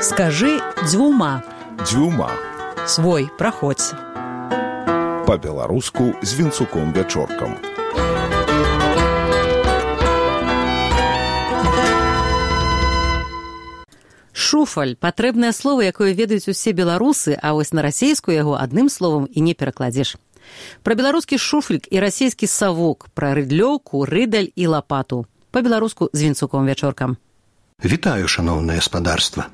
Скажи дзвюма. Дзвюма. Свой, праходзь. Па-беларуску з Вінцуком-Вячоркам. Шуфаль – патрэбнае слова, якое ведаюць усе беларусы, а вось на расейскую яго адным словам і не перакладзеш. Пра беларускі шуфлік і расейскі савок, пра рыдлёўку, рыдаль і лапату. Па-беларуску з Вінцуком-Вячоркам. Вітаю, шаноўнае гаспадарства.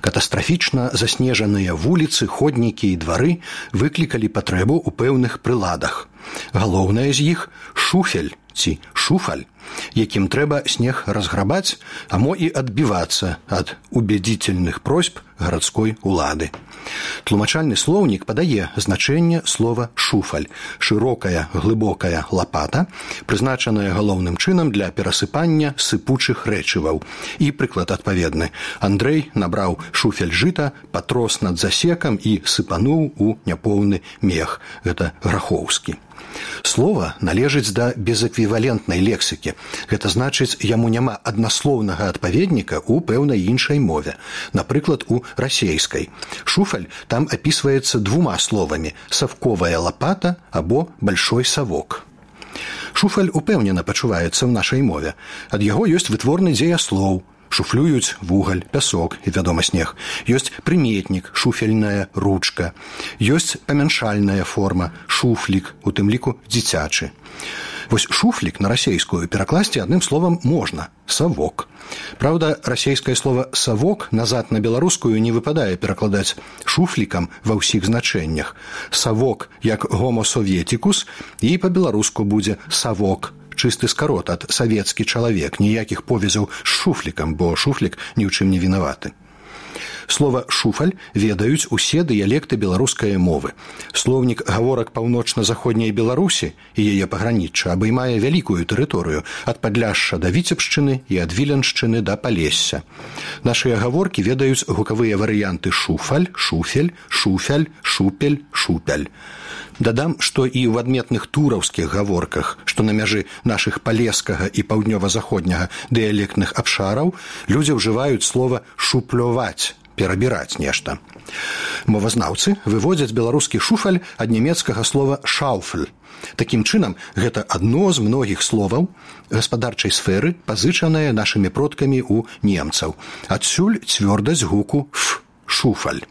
Катастрафічна заснежаныя вуліцы, ходнікі і двары выклікалі патрэбу ў пэўных прыладах. Галоўнае з іх – шуфель ці шуфаль, якім трэба снег разграбаць, а мо і адбівацца ад убедзительных просьб гарадской улады. Тлумачальны слоўнік падае значэнне слова «шуфаль» – шырокая, глыбокая лапата, прызначаная галоўным чынам для перасыпання сыпучых рэчываў. І прыклад адпаведны. Андрэй набраў шуфель жыта, патрос над засекам і сыпануў у няпоўны мех. Гэта Грахоўскі. Слова належыць да безэквівалентнай лексікі. Гэта значыць, яму няма аднаслоўнага адпаведніка ў пэўнай іншай мове. Напрыклад, у расейскай. Шуфаль там апісваецца двума словамі – савковая лапата або большой савок. Шуфаль упэўнена пачуваецца ў нашай мове. Ад яго ёсць вытворны дзеяслоў. Шуфлююць вугаль, пясок і, вядома, снег. Ёсць прыметнік, шуфельная ручка. Ёсць памяншальная форма, шуфлік, у тым ліку дзіцячы. Вось шуфлік на расейскую перакласці адным словам можна – савок. Праўда, расейскае слова «савок» назад на беларускую не выпадае перакладаць шуфлікам ва ўсіх значэннях. Савок як гомо советикус і па-беларуску будзе савок. Чысты скарот ад савецкі чалавек, ніякіх повязаў з шуфлікам, бо шуфлік ні ў чым не вінаваты. Слова «шуфаль» ведаюць усе дыялекты беларускай мовы. Слоўнік гаворак паўночна-заходняй Беларусі і яе пагранічча абаймае вялікую тэрыторыю ад Падляшша да Віцебшчыны і ад Віленшчыны да Палесся. Нашыя гаворкі ведаюць гукавыя варыянты «шуфаль», «шуфель», «шуфяль», «шупель», «шупяль». Дадам, што і ў адметных тураўскіх гаворках, што на мяжы нашых палескага і паўднёва-заходняга дыялектных абшараў, людзі ўжываюць слова «шуплёваць», перабіраць нешта. Мовазнаўцы выводзяць беларускі шуфаль ад нямецкага слова «шауфль». Такім чынам, гэта адно з многіх словаў гаспадарчай сферы, пазычанае нашымі продкамі ў немцаў. Адсюль цвёрдасць гуку «ф» – «шуфаль».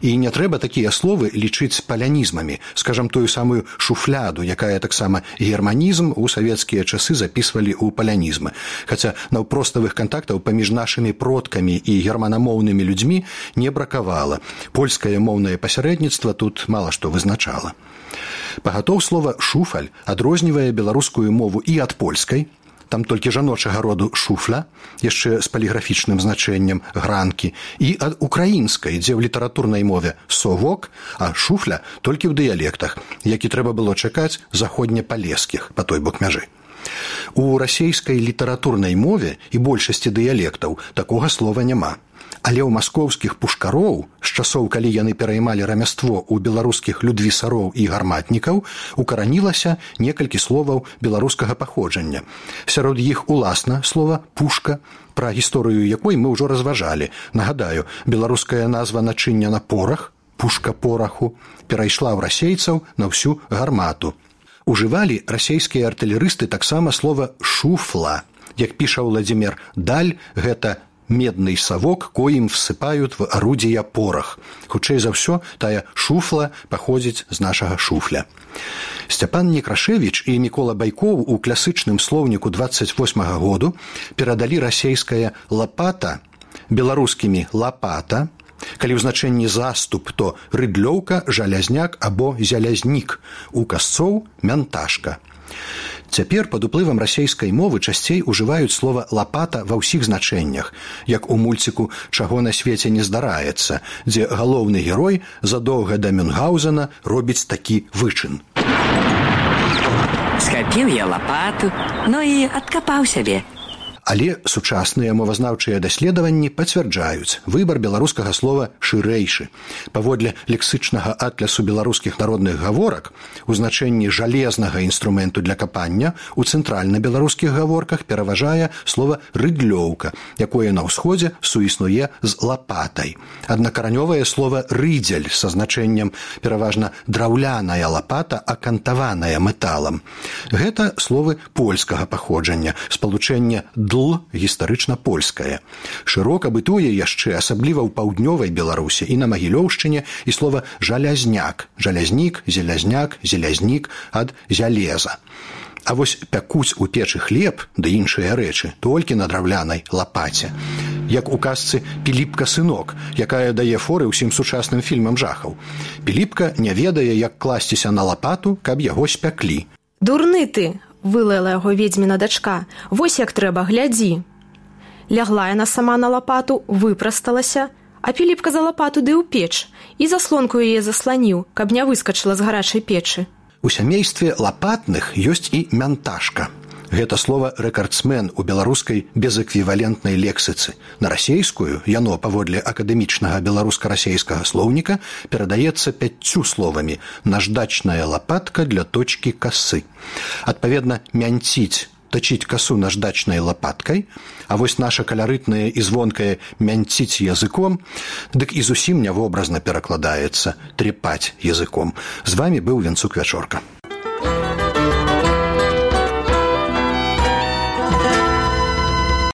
І не трэба такія словы лічыць палянізмамі, скажам, тую самую шуфляду, якая таксама германізм у савецкія часы запісвалі ў палянізмы. Хаця наўпроставых кантактаў паміж нашымі продкамі і германамоўнымі людзьмі не бракавала. Польскае моўнае пасярэдніцтва тут мала што вызначала. Пагатоў слова «шуфаль» адрознівае беларускую мову і ад польскай, там толькі жаночага роду шуфля, яшчэ з паліграфічным значэннем гранкі, і ад украінскай, дзе ў літаратурнай мове совок, а шуфля толькі ў дыялектах, які трэба было чакаць заходнепалескіх па той бок мяжы. У расейскай літаратурнай мове і большасці дыялектаў такога слова няма. Але ў маскоўскіх пушкароў, з часоў, калі яны пераймалі рамяство ў беларускіх людвісароў і гарматнікаў, укаранілася некалькі словаў беларускага паходжання. Сярод іх уласна слова «пушка», пра гісторыю якой мы ўжо разважалі. Нагадаю, беларуская назва начыння на порах, пушка пораху, перайшла ў расейцаў на ўсю гармату. Ужывалі расейскія артылерысты таксама слова «шуфла». Як піша Владзімір Даль, гэта медный совок, коим всыпают в орудия порох. Хутчэй за ўсё, тая шуфла паходзіць з нашага шуфля. Сцяпан Некрашевіч і Мікола Байкоў у класычным слоўніку 28-го году перадалі расейская лапата беларускімі лапата, калі ў значэнні заступ, то рыдлёўка, жалязняк або зялязнік, у касцоў мянташка. Цяпер пад уплывам расейскай мовы часцей ужываюць слова «лапата» ва ўсіх значэннях, як у мульціку «Чаго на свеце не здараецца», дзе галоўны герой задоўга да Мюнхгаузена робіць такі вычын. Схапіў я лапату, ну і адкапаў сябе. Але сучасныя мовазнаўчыя даследаванні пацвярджаюць выбар беларускага слова шырэйшы. Паводле лексычнага атлясу беларускіх народных гаворак у значэнні жалезнага інструменту для капання у цэнтральна-беларускіх гаворках пераважае слова рыдлёўка, якое на ўсходзе суіснуе з лапатай. Аднакаранёвае слова рыдзель са значэннем пераважна драўляная лапата, акантаваная металам. Гэта словы польскага паходжання, спалучэнне «дл» гістарычна польскае. Шырока бытуе яшчэ, асабліва ў паўднёвай Беларусі і на Магілёўшчыне, і слова «жалязняк», «жалязнік», «зелязняк», «зелязнік» ад «зялеза». А вось пякуць у печы хлеб ды іншыя рэчы толькі на драўлянай лапаце. Як у казцы «Піліпка сынок», якая дае форы ўсім сучасным фільмам жахаў. Піліпка не ведае, як класціся на лапату, каб яго спяклі. «Дурны ты!» – вылаяла яго ведзьміна дачка. «Вось як трэба, глядзі!» Лягла яна сама на лапату, выпрасталася, а Піліпка за лапату ды ў печ і заслонку яе засланіў, каб не выскачыла з гарачай печы. У сямействе лапатных ёсць і мянташка. Гэта слова рэкардсмен у беларускай безэквівалентнай лексіцы. На расейскую яно, паводле акадэмічнага беларуска-расейскага слоўніка, перадаецца 5 словамі «наждачная лапатка для точкі касы». Адпаведна, мянціць, точить косу наждачнай лапаткай, а вось наша каларытнае і звонкае мянціць языком, дык і зусім нявобразна перакладаецца трепаць языком. З вамі быў Венцук Вячорка.